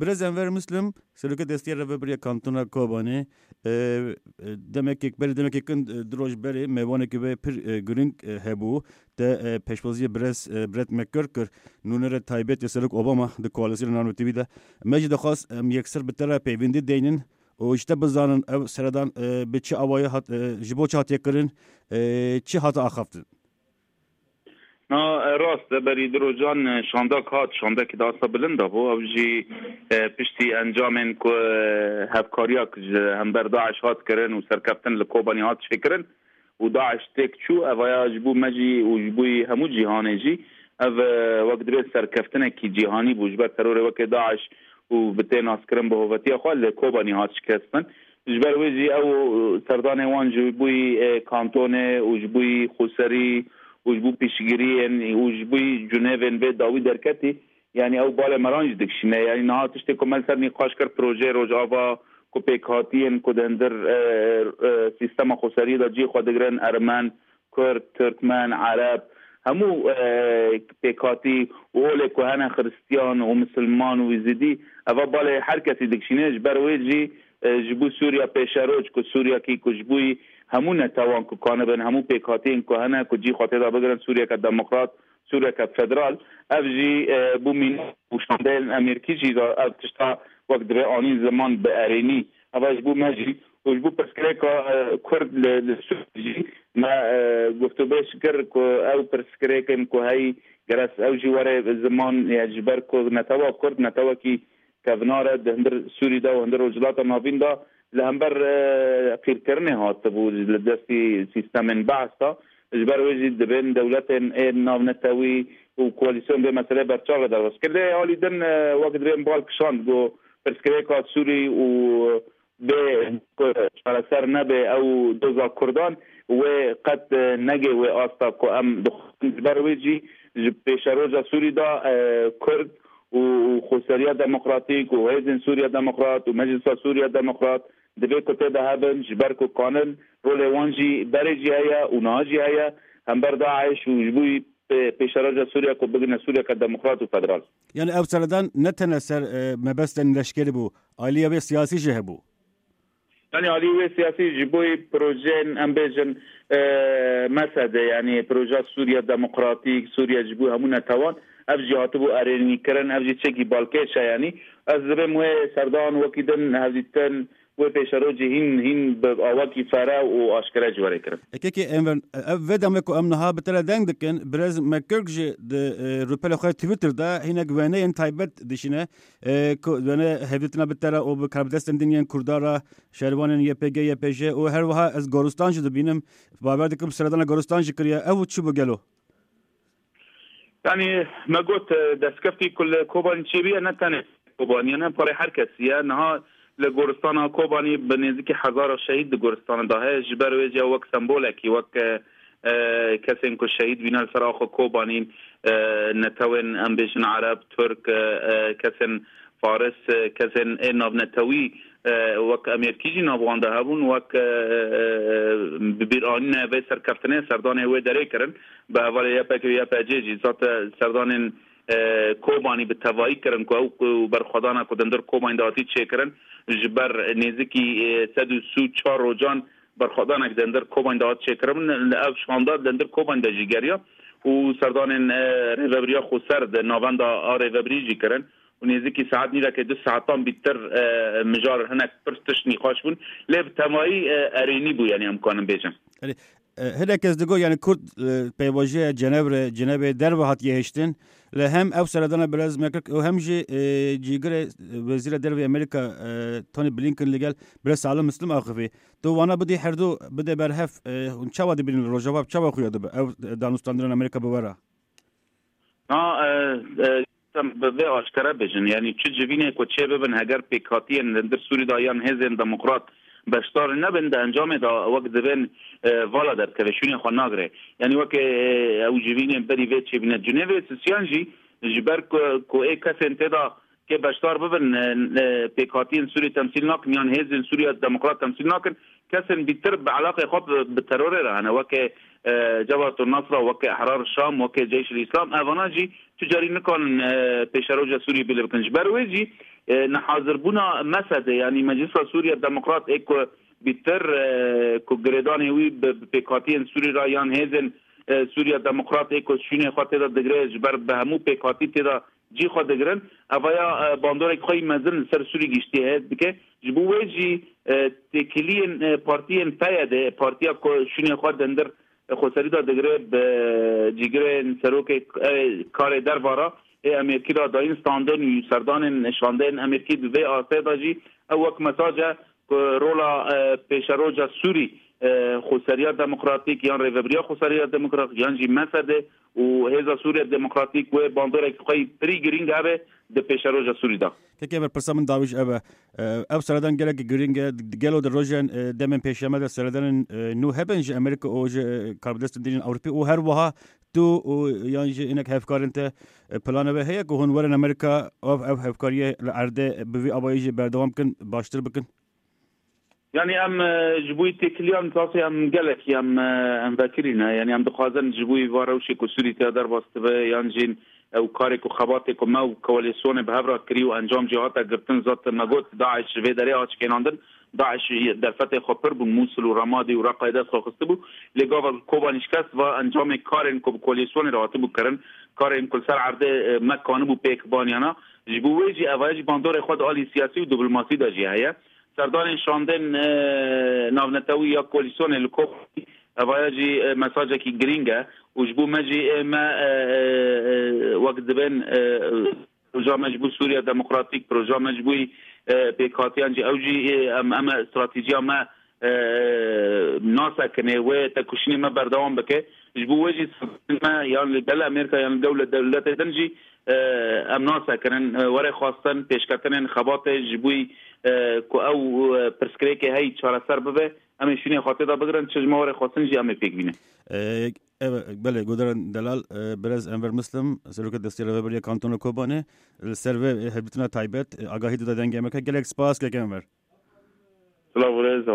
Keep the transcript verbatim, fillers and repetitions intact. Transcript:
Birêz Enver Muslim, Serokê Destiyê Rêveberiya Kantona Kobanê, e, e, demekê, berê demekê kin, e, du roj berê mêvanekî wê pir, e, girîng, e, hebû. Te, e, pêşwaziyê birêz, e, Brett McGurk kir. Nûnerê taybet yê Serok Obama di koalîsyona Nano T V de. Me jî dixwest em yekser bi te re peywendî deynin û ji te bizanin ev seredan, e, bi çi awayî hat, e, ji bo çi hatiye kirin, e, çi hate axaftin? Na, e, rast e, berî du rojan, e, şandek hat, şandekî di asta bilind de bû. Ew jî, e, piştî encamên ku, e, hevkariya ji hember DAIŞ hat kirin û serkeftin li Kobanî hat çêkirin û DAIŞ têk çû, evaya ji bo me jî û ji bo hemû cîhanê jî ev, e, wek divê serkeftinekî cîhanî bû ji ber terorê weke DAIŞ û bi tê naskirin bi hovetiya xwe li Kobanî hat şikestin. Ji ber wê jî ew serdanê wan ji bo, e, kantonê û ji bo xweserî û ji bo piştgiriyên û ji bo cunevên vê dawî derketî, yanî ew balê meran jî dikişîne. Yanî niha tiştê ku me li ser nîqaş kir, projeyê Rojava ku pêkhatiyên ku di hundir, e, e, sîstema xweseriyê de cî xwe digirin, ermen, kurd, tirkmen, ereb, hemû, e, pêkhatî û olê ku hene xiristiyan û misilman û êzidî, eva balê her kesî dikişîne. Ji ber wê jî, e, ji bo Sûriya pêşeroj ku Sûriyakî ku ji bo hemû netewan ku kanibin, hemû pêkhatiyên ku hene ku cî xwe tê de bigirin, Sûriyeke demokrat, Sûriyeke federal, ev jî, e, bû mîna û şandeyên Amerîkî jî da ev tişta wek divê anîn ziman bi erênî. Eva ji bo me jî û ji bo pirsgirêka, e, Kurd li, li Sûriyê jî me, e, guftûbêj kir ku ew pirsgirêkên ku heyî gerek ew jî were ziman, ya ji ber ku netewa Kurd netewekî kevnar e di hundir Sûrî de û hundir Rojhilata Navîn de li hember, e, qîrkirinê hatibû li destî sîstemên Beas de. Ji ber wê jî dibên dewletên ê navnetewî û koalîsyon vê meseleyê berçav re derbas kir. Lê alî din, e, wek divê bal kişand ku pirsgirêka Sûrî û bê ku çareser nebe ew doza Kurdan, wê qet, e, nege wê asta ku em dixwazin. Ji ber wê jî ji pêşeroja Sûrî de, e, Kurd û, û Xweseriya Demokratîk û Hêzên Sûriya Demokrat û Meclisa Sûriya Demokrat divê ku tê de hebin, ji ber ku kanin rolê wan jî berê jî heye û niha jî heye hember DAIŞ û ji bo pê-, pêşeroja Sûriya ku bigine Sûriyeke demokrat û federal. Yani ev seredan ne tene ser, e, mebestên leşkerî bû, aliyê wê siyasî jî hebû. Yani alî wê siyasî ji bo projeyên, em bêjin, e, mesede, yani proja Sûriya Demokratîk, Sûriya ji bo hemû netewan, ev jî hatibû erênîkirin, ev jî çekî balkêş e yani. Ez dibêm wê serdan wekî din hevdîtin, wê pêşerojî hîn, hîn bi awakî fere û aşkere jî were kirin. Ekekê Enver, ev vê demê ku em niha bi te re deng dikin, Birêz McGurk jî di, e, rûpelê xwe Twitter de hinek wêneyên taybet dişîne, e, ku wêne hevdîtina bi te re û bi karbidestên din yên Kurda re, şervanên Y P G, Y P J û her wiha ez Goristan jî dibînim. Bawer dikim seredana Goristan jî kiriye. Ew çi bû gelo? Yani me got, e, destkeftî ku li Kobanî çêbûye ne tenê Kobanî ye, ne parê her kesî ye. Niha li goristana Kobanî bi nêzîkî hezara şehîd di goristanê de heye. Ji ber wê jî wek sembolekî, wek, e, e, kesên ku şehîd bîne li ser axa Kobanî, e, netewên, em bêjin, Ereb, Tirk, e, e, kesên Faris, e, kesên ê navnetewî, e, wek Amerîkî jî nav wan de hebûn, wek, e, e, e, bi bîranîna vê serkeftinê serdanê wê derê kirin, bi hevalê Y P G û Y P C jî zate serdanên, e, Kobanî bi tevayî kirin ku ew ku berxwedana ku di hundir Kobanî de hatî çêkirin, ji ber nêzîkî, e, sed û sî û çar rojan berxwedanek di hundir Kobanî de hat çêkirin. Li ev şanda di hundir Kobanî de jî geriya û serdanên, e, Rêveberiya Xweser di navenda a rêvebirî jî kirin. û nêzîkî saet nîvekê du saetan bîtir, e, mijar hinek pirs tişt nîqaş bûn. Lê bi temayî, e, erênî bû, yani em kanin bêjin. Erê, e, hinek kes digot, yani Kurd, e, pêvajoya Cenevre, Cenevê derve hatiye hiştin. Lê hem ew seredana Birêz McGurk û hem jî, e, cîgirê, e, Wezîra Derve Amerîka, e, Tony Blinken li gel Birêz Salim Muslim axivî. Tu wana bidî herdu bide berhev, e, hûn çawa dibînin li Rojava, çawa xuya dibe ew, e, danûstandinên Amerîka bi we re? Na, e, e, em bi vê aşkere bêjin. Yani çi civînê ku çê bibin, heger pêkhatiyên li hundir Sûrî de yan hêzên demokrat beşdar nebin, di encamê de wek divên, e, vala derkeve, şûnê xwe nagire. Yani weke, e, ew civînên berî vê çêbîne. Cunevê Sisyan jî ji ber ku, ku ê kesên tê de kê beşdar bibin, e, e, pêkhatiyên Sûrî temsîl nakin, yan hêzên Sûriya Demokrat temsîl nakin, kesên bîtir bi eleqê xwe bi, bi terorê re hene, weke, e, Cebhat Nusra, weke Ehrar Şam, weke Ceyş el Îslam, evana jî tu carî nikanin, e, pêşeroja Sûriyê bêle bikin. Ji ber wê jî, E, nehazirbûna MSDê, yanî Meclisa Sûriya Demokrat ê ku bîtir, e, ku girêdanê wî bi, bi pêkhatiyên Sûrî re yan hêzên, e, Sûriya Demokrat ê ku şûnê xwe tê de digire, ji ber bi hemû pêkhatî tê de cî xwe digirin, evaya, e, bandorek xwe yî mezin li ser Sûrî giştiye hêz dike. Ji bo wê jî, e, têkiliyên, e, partiyên PYDê, partiya ku şûnê xwe dindir, e, xweserî de digire, bi cîgirên serokê, e, karê derva re ê Amerîkî re dayîn standin û serdanên şandeyên Amerîkî di vê astê de jî ew wek mesaj e ku rola, e, pêşeroja Sûrî, e, xweseriya demokratîk yan rêvebiriya xweseriya demokratîk yan jî MSDê û Hêza Sûriya Demokratîk wê bandorek xwe yî pirî girîng hebe di pêşeroja Sûrî de. Kekê, berpirsa min dawî jî ev e. E, ev seredan gelek girîng e. Gelo di rojên, e, demên pêşeme de seredanên, e, nû hebin ji Amerîka û ji, e, karbidestên din yên Ewropî û her wiha tu û yan jî hinek hevkarên te, e, plana we heye ku hûn werin Amerîka, ev, ev hevkariyê li erdê bi vî awayî jî berdewam bikin, baştir bikin? Yanî em, e, ji bo têkiliyan tasê em gelekî em, e, em vekirî ne. Yanî em dixwazin ji bo va rewşê ku Sûrî tê derbas dibe, yan jî ew karê ku xebatê ku me û koalîsyonê bi hev re kirî û encam jî hate girtin, zat me got, DAIŞ ji vê derê hat şikênandin. DAIŞ derfetê xwe pir bûn, Mûsil û Remadî û Reqayê dest xwe xistibû. Lê gava Kobanî şikest va encamê karên ku bi koalîsyonê re hatibû kirin, karên ku li ser erdê, e, me kanibû pêk baniyana. Ji bo wê jî eva jî bandorê xwe di alî siyasî û diplomasî de jî heye. Serdanên şandên, e, navnetewî ya koalîsyonê li Kobanî, evaya jî, e, mesajekî girîng e û ji bo me jî, e, me, e, e, e, wek dibên, e, proja me ji bo Sûriya Demokratîk, proja me ji bo, e, pêkhatiyan jî, ew jî, e, em, em e, stratejiya me, e, nasekine, wê tekoşînê me berdewam bike. Ji bo wê jî me yan li gel Amerîka yan li dewle-, dewletê din jî, e, em nasekinin, e, were xwestin, pêşketinên xebatê ji bo, e, ku ew, e, pirsgirêkê hey çareser bibe, em ê şûnê xwe tê de bigirin, çi ji me were xwestin jî em ê pêk bînin. E, ev, belê, guhdarên delal, e, birêz Enver Muslim, serokê destê Rêveberiya Kantona Kobanê, li ser vê, e, hevdîtina taybet, e, agahî dida Dengê Amerîka. Gelek spas, kek Enver. Silav û rêz.